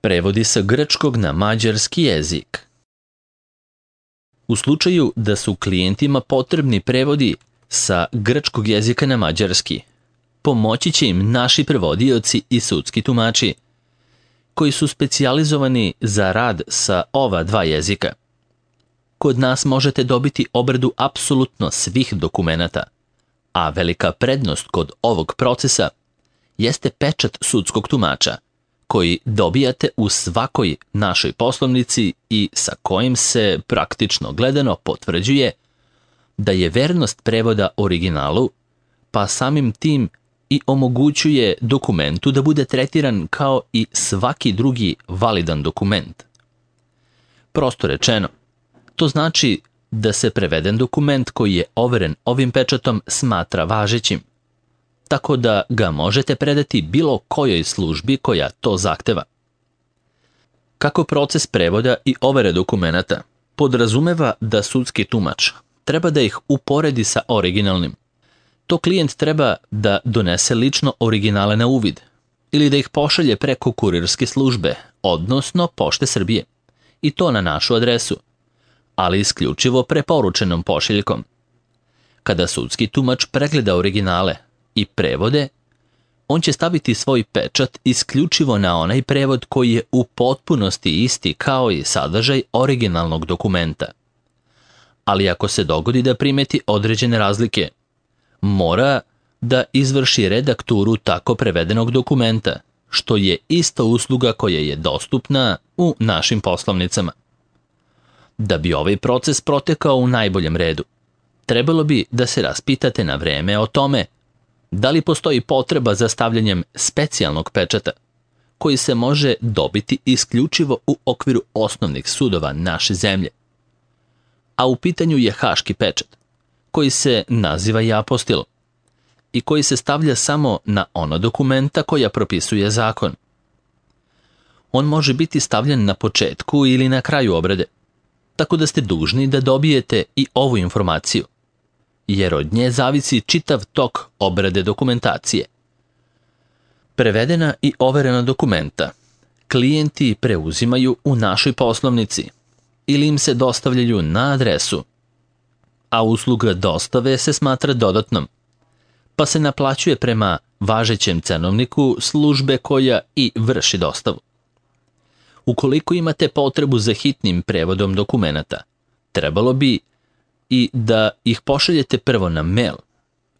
Prevodi sa grčkog na mađarski jezik. U slučaju da su klijentima potrebni prevodi sa grčkog jezika na mađarski, pomoći će im naši prevodioci i sudski tumači, koji su specijalizovani za rad sa ova dva jezika. Kod nas možete dobiti obradu apsolutno svih dokumenata, a velika prednost kod ovog procesa jeste pečat sudskog tumača, koji dobijate u svakoj našoj poslovnici i sa kojim se praktično gledano potvrđuje da je vernost prevoda originalu, pa samim tim i omogućuje dokumentu da bude tretiran kao i svaki drugi validan dokument. Prosto rečeno, to znači da se preveden dokument koji je overen ovim pečatom smatra važećim, tako da ga možete predati bilo kojoj službi koja to zahteva. Kako proces prevoda i overe dokumenata podrazumeva da sudski tumač treba da ih uporedi sa originalnim, to klijent treba da donese lično originale na uvid ili da ih pošalje preko kurirske službe, odnosno Pošte Srbije, i to na našu adresu, ali isključivo preporučenom pošiljkom. Kada sudski tumač pregleda originale i prevode, on će staviti svoj pečat isključivo na onaj prevod koji je u potpunosti isti kao i sadržaj originalnog dokumenta. Ali ako se dogodi da primeti određene razlike, mora da izvrši redakturu tako prevedenog dokumenta, što je ista usluga koja je dostupna u našim poslovnicama. Da bi ovaj proces protekao u najboljem redu, trebalo bi da se raspitate na vreme o tome da li postoji potreba za stavljanjem specijalnog pečata, koji se može dobiti isključivo u okviru osnovnih sudova naše zemlje. A u pitanju je haški pečat, koji se naziva i apostil i koji se stavlja samo na ona dokumenta koja propisuje zakon. On može biti stavljen na početku ili na kraju obrade, tako da ste dužni da dobijete i ovu informaciju, jer od nje zavisi čitav tok obrade dokumentacije. Prevedena i overena dokumenta klijenti preuzimaju u našoj poslovnici ili im se dostavljaju na adresu, a usluga dostave se smatra dodatnom, pa se naplaćuje prema važećem cenovniku službe koja i vrši dostavu. Ukoliko imate potrebu za hitnim prevodom dokumenata, trebalo bi i da ih pošaljete prvo na mail,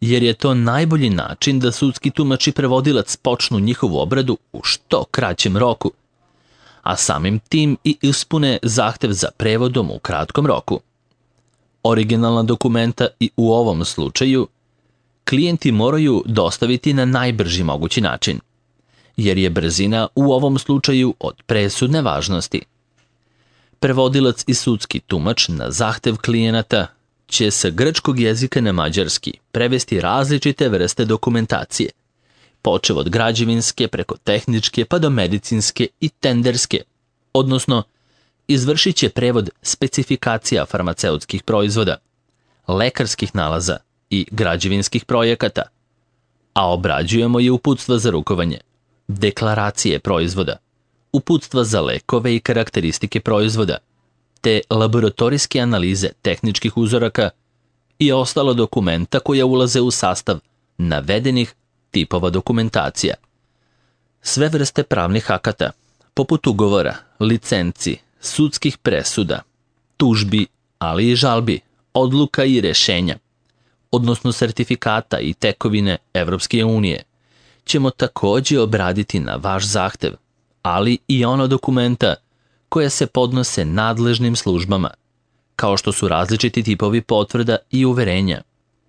jer je to najbolji način da sudski tumač i prevodilac počnu njihovu obradu u što kraćem roku, a samim tim i ispune zahtev za prevodom u kratkom roku. Originalna dokumenta i u ovom slučaju klijenti moraju dostaviti na najbrži mogući način, jer je brzina u ovom slučaju od presudne važnosti. Prevodilac i sudski tumač na zahtev klijenata će sa grčkog jezika na mađarski prevesti različite vrste dokumentacije, počev od građevinske preko tehničke pa do medicinske i tenderske, odnosno izvršit će prevod specifikacija farmaceutskih proizvoda, lekarskih nalaza i građevinskih projekata, a obrađujemo i uputstva za rukovanje, deklaracije proizvoda, uputstva za lekove i karakteristike proizvoda, te laboratorijske analize tehničkih uzoraka i ostala dokumenta koja ulaze u sastav navedenih tipova dokumentacija. Sve vrste pravnih akata, poput ugovora, licenci, sudskih presuda, tužbi, ali i žalbi, odluka i rešenja, odnosno sertifikata i tekovine Evropske unije, ćemo također obraditi na vaš zahtev, ali i ono dokumenta koja se podnose nadležnim službama, kao što su različiti tipovi potvrda i uverenja,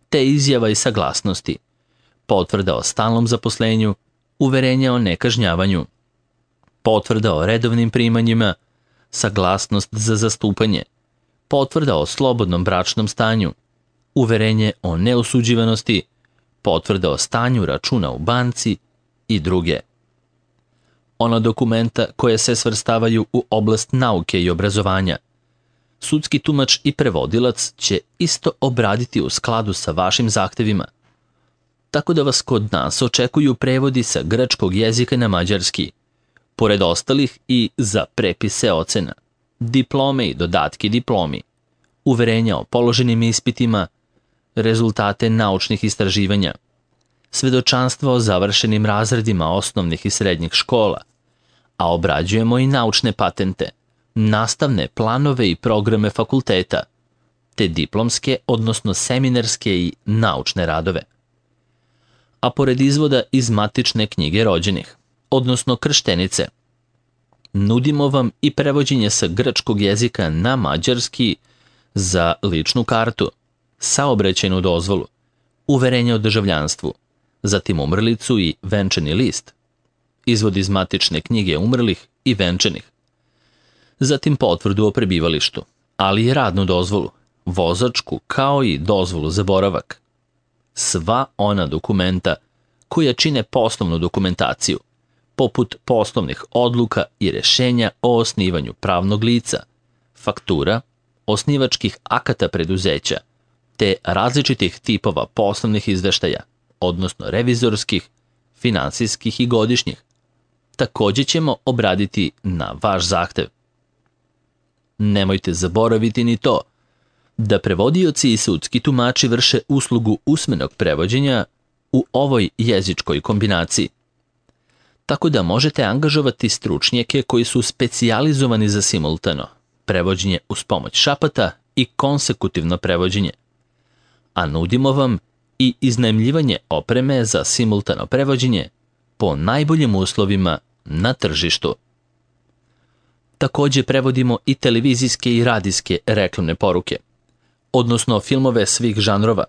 te izjava i saglasnosti, potvrda o stalnom zaposlenju, uverenja o nekažnjavanju, potvrda o redovnim primanjima, saglasnost za zastupanje, potvrda o slobodnom bračnom stanju, uverenje o neosuđivanosti, potvrda o stanju računa u banci i druge. Ona dokumenta koje se svrstavaju u oblast nauke i obrazovanja, sudski tumač i prevodilac će isto obraditi u skladu sa vašim zahtevima, tako da vas kod nas očekuju prevodi sa grčkog jezika na mađarski, pored ostalih i za prepise ocena, diplome i dodatke diplomi, uverenja o položenim ispitima, rezultate naučnih istraživanja, svedočanstvo o završenim razredima osnovnih i srednjih škola, a obrađujemo i naučne patente, nastavne planove i programe fakulteta, te diplomske, odnosno seminarske i naučne radove. A pored izvoda iz matične knjige rođenih, odnosno krštenice, nudimo vam i prevođenje sa grčkog jezika na mađarski za ličnu kartu, saobraćajnu dozvolu, uverenje o državljanstvu, zatim umrlicu i venčani list, izvod iz matične knjige umrlih i venčanih, zatim potvrdu o prebivalištu, ali i radnu dozvolu, vozačku kao i dozvolu za boravak. Sva ona dokumenta koja čine poslovnu dokumentaciju, poput poslovnih odluka i rešenja o osnivanju pravnog lica, faktura, osnivačkih akata preduzeća, te različitih tipova poslovnih izveštaja, odnosno revizorskih, finansijskih i godišnjih, također ćemo obraditi na vaš zahtev. Nemojte zaboraviti ni to da prevodioci i sudski tumači vrše uslugu usmenog prevođenja u ovoj jezičkoj kombinaciji. Tako da možete angažovati stručnjake koji su specijalizovani za simultano prevođenje uz pomoć šapata i konsekutivno prevođenje. A nudimo vam i iznajmljivanje opreme za simultano prevođenje po najboljim uslovima na tržištu. Također prevodimo i televizijske i radijske reklamne poruke, odnosno filmove svih žanrova,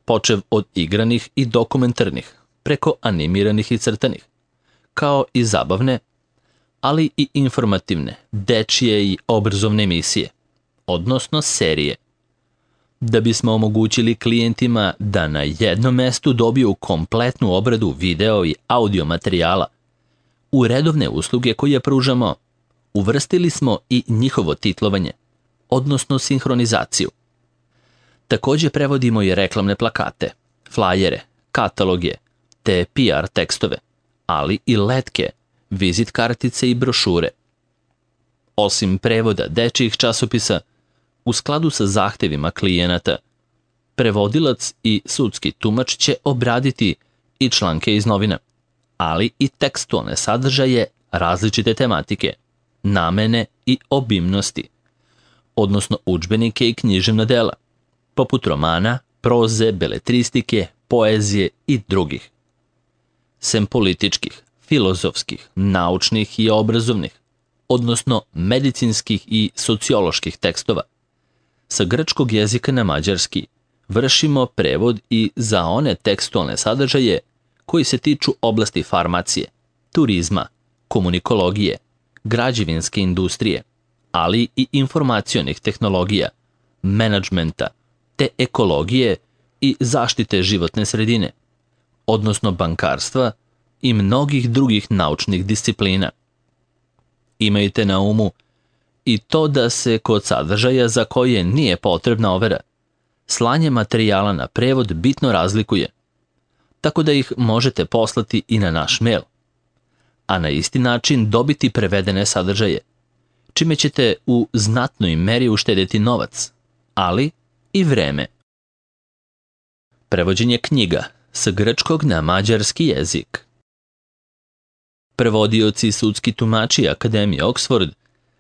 počev od igranih i dokumentarnih, preko animiranih i crtanih, kao i zabavne, ali i informativne, dečije i obrazovne emisije, odnosno serije, da bismo omogućili klijentima da na jednom mestu dobiju kompletnu obradu video i audio materijala. U redovne usluge koje pružamo, uvrstili smo i njihovo titlovanje, odnosno sinhronizaciju. Također prevodimo i reklamne plakate, flajere, kataloge, te PR tekstove, ali i letke, vizit kartice i brošure. Osim prevoda dečjih časopisa, u skladu sa zahtevima klijenata, prevodilac i sudski tumač će obraditi i članke iz novina, ali i tekstualne sadržaje različite tematike, namene i obimnosti, odnosno udžbenike i književna dela, poput romana, proze, beletristike, poezije i drugih. Sem političkih, filozofskih, naučnih i obrazovnih, odnosno medicinskih i socioloških tekstova, sa grčkog jezika na mađarski vršimo prevod i za one tekstualne sadržaje koji se tiču oblasti farmacije, turizma, komunikologije, građevinske industrije, ali i informacionih tehnologija, menadžmenta, te ekologije i zaštite životne sredine, odnosno bankarstva i mnogih drugih naučnih disciplina. Imajte na umu i to da se kod sadržaja za koje nije potrebna overa, slanje materijala na prevod bitno razlikuje, tako da ih možete poslati i na naš mail, a na isti način dobiti prevedene sadržaje, čime ćete u znatnoj meri uštedjeti novac, ali i vreme. Prevođenje knjiga sa grčkog na mađarski jezik. Prevodioci i sudski tumači Akademije Oxford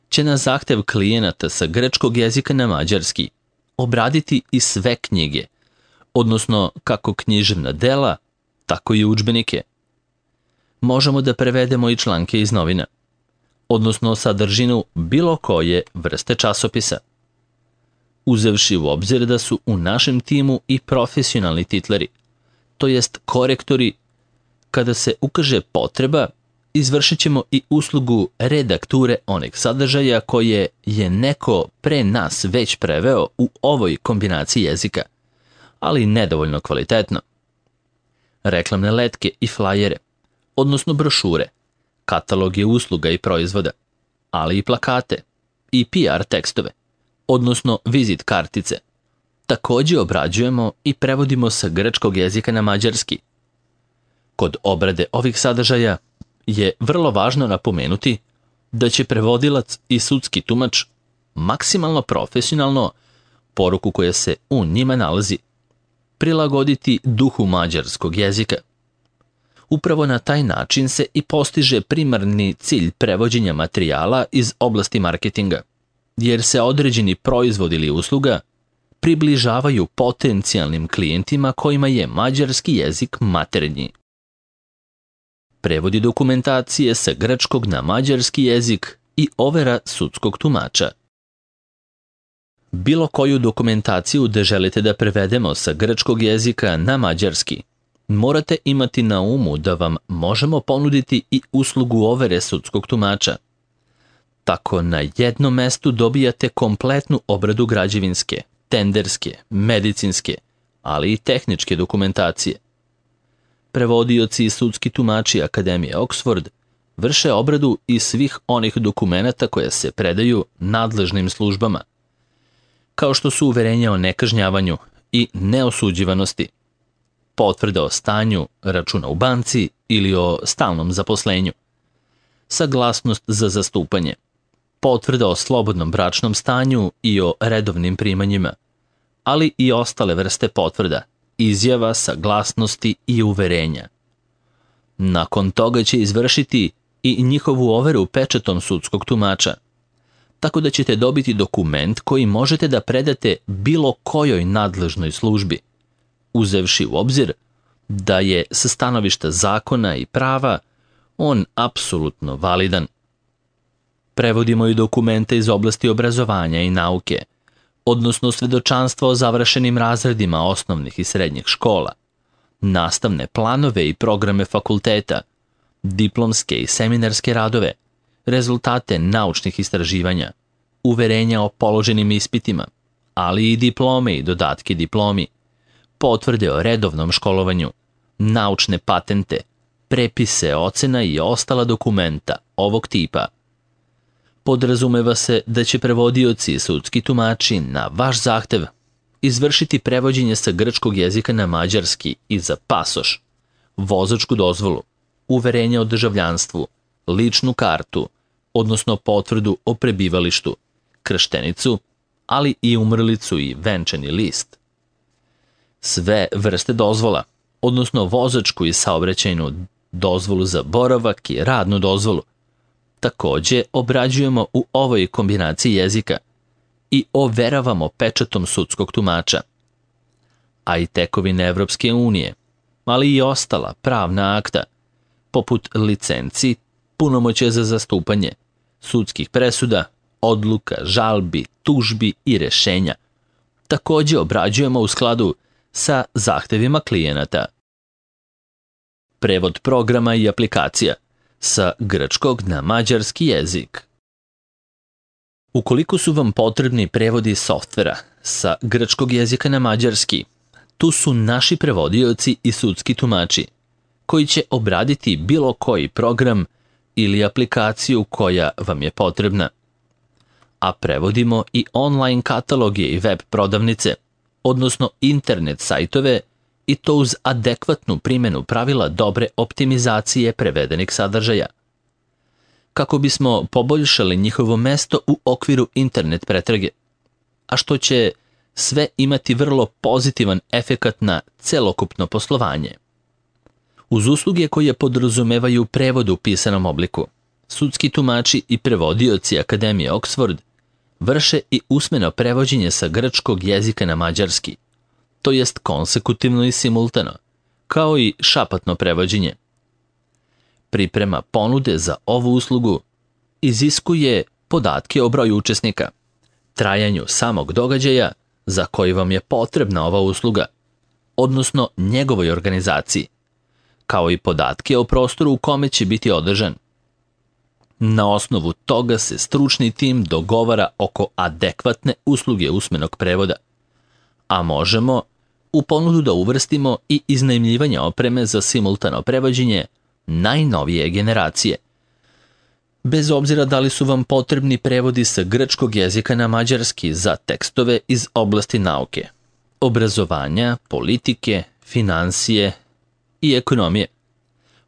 će na zahtev klijenata sa grčkog jezika na mađarski obraditi i sve knjige, odnosno kako književna dela, tako i udžbenike. Možemo da prevedemo i članke iz novina, odnosno sadržinu bilo koje vrste časopisa. Uzevši u obzir da su u našem timu i profesionalni titleri, to jest korektori, kada se ukaže potreba, izvršit ćemo i uslugu redakture onih sadržaja koje je neko pre nas već preveo u ovoj kombinaciji jezika, ali nedovoljno kvalitetno. Reklamne letke i flajere, odnosno brošure, kataloge usluga i proizvoda, ali i plakate i PR tekstove, odnosno vizit kartice, također obrađujemo i prevodimo sa grčkog jezika na mađarski. Kod obrade ovih sadržaja je vrlo važno napomenuti da će prevodilac i sudski tumač maksimalno profesionalno poruku koja se u njima nalazi prilagoditi duhu mađarskog jezika. Upravo na taj način se i postiže primarni cilj prevođenja materijala iz oblasti marketinga, jer se određeni proizvod ili usluga približavaju potencijalnim klijentima kojima je mađarski jezik maternji. Prevodi dokumentacije sa grčkog na mađarski jezik i overa sudskog tumača. Bilo koju dokumentaciju da želite da prevedemo sa grčkog jezika na mađarski, morate imati na umu da vam možemo ponuditi i uslugu overe sudskog tumača. Tako na jednom mestu dobijate kompletnu obradu građevinske, tenderske, medicinske, ali i tehničke dokumentacije. Prevodioci i sudski tumači Akademije Oxford vrše obradu i svih onih dokumenata koje se predaju nadležnim službama, kao što su uverenja o nekažnjavanju i neosuđivanosti, potvrda o stanju računa u banci ili o stalnom zaposlenju, saglasnost za zastupanje, potvrda o slobodnom bračnom stanju i o redovnim primanjima, ali i ostale vrste potvrda, izjava, saglasnosti i uverenja. Nakon toga će izvršiti i njihovu overu pečatom sudskog tumača, tako da ćete dobiti dokument koji možete da predate bilo kojoj nadležnoj službi, uzevši u obzir da je sa stanovišta zakona i prava on apsolutno validan. Prevodimo i dokumente iz oblasti obrazovanja i nauke, odnosno svedočanstva o završenim razredima osnovnih i srednjih škola, nastavne planove i programe fakulteta, diplomske i seminarske radove, rezultate naučnih istraživanja, uverenja o položenim ispitima, ali i diplome i dodatke diplomi, potvrde o redovnom školovanju, naučne patente, prepise ocena i ostala dokumenta ovog tipa. Podrazumeva se da će prevodioci i sudski tumači na vaš zahtev izvršiti prevođenje sa grčkog jezika na mađarski i za pasoš, vozačku dozvolu, uverenje o državljanstvu, ličnu kartu, odnosno potvrdu o prebivalištu, krštenicu, ali i umrlicu i venčani list. Sve vrste dozvola, odnosno vozačku i saobraćajnu dozvolu za boravak i radnu dozvolu, takođe obrađujemo u ovoj kombinaciji jezika i overavamo pečatom sudskog tumača. A i tekovine Evropske unije, ali i ostala pravna akta, poput licenci, punomoćja za zastupanje, sudskih presuda, odluka, žalbi, tužbi i rešenja, takođe obrađujemo u skladu sa zahtevima klijenata. Prevod programa i aplikacija sa grčkog na mađarski jezik. Ukoliko su vam potrebni prevodi softvera sa grčkog jezika na mađarski, tu su naši prevodioci i sudski tumači, koji će obraditi bilo koji program ili aplikaciju koja vam je potrebna. A prevodimo i online kataloge i web prodavnice, odnosno internet sajtove, i to uz adekvatnu primjenu pravila dobre optimizacije prevedenih sadržaja. Kako bismo poboljšali njihovo mesto u okviru internet pretrage, a što će sve imati vrlo pozitivan efekat na celokupno poslovanje. Uz usluge koje podrazumevaju prevod u pisanom obliku, sudski tumači i prevodioci Akademije Oxford vrše i usmeno prevođenje sa grčkog jezika na mađarski, to jest konsekutivno i simultano, kao i šapatno prevođenje. Priprema ponude za ovu uslugu iziskuje podatke o broju učesnika, trajanju samog događaja za koji vam je potrebna ova usluga, odnosno njegovoj organizaciji, kao i podatke o prostoru u kome će biti održan. Na osnovu toga se stručni tim dogovara oko adekvatne usluge usmenog prevoda, a možemo u ponudu da uvrstimo i iznajmljivanje opreme za simultano prevođenje najnovije generacije. Bez obzira da li su vam potrebni prevodi sa grčkog jezika na mađarski za tekstove iz oblasti nauke, obrazovanja, politike, finansije i ekonomije,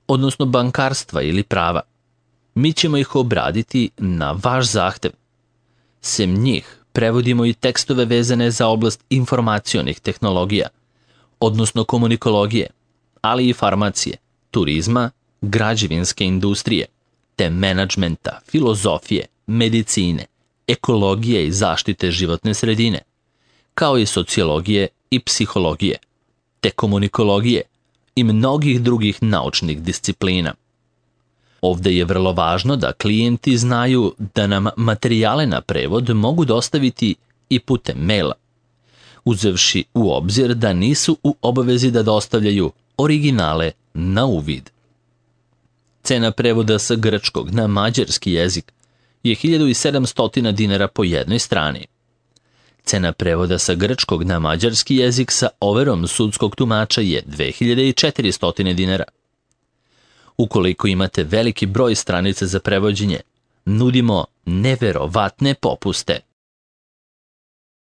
odnosno bankarstva ili prava. Mi ćemo ih obraditi na vaš zahtev. Sem njih, prevodimo i tekstove vezane za oblast informacionih tehnologija, odnosno komunikologije, ali i farmacije, turizma, građevinske industrije, te menadžmenta, filozofije, medicine, ekologije i zaštite životne sredine, kao i sociologije i psihologije, te komunikologije i mnogih drugih naučnih disciplina. Ovde je vrlo važno da klijenti znaju da nam materijale na prevod mogu dostaviti i putem maila, uzevši u obzir da nisu u obavezi da dostavljaju originale na uvid. Cena prevoda sa grčkog na mađarski jezik je 1700 dinara po jednoj strani. Cena prevoda sa grčkog na mađarski jezik sa overom sudskog tumača je 2400 dinara. Ukoliko imate veliki broj stranica za prevođenje, nudimo neverovatne popuste.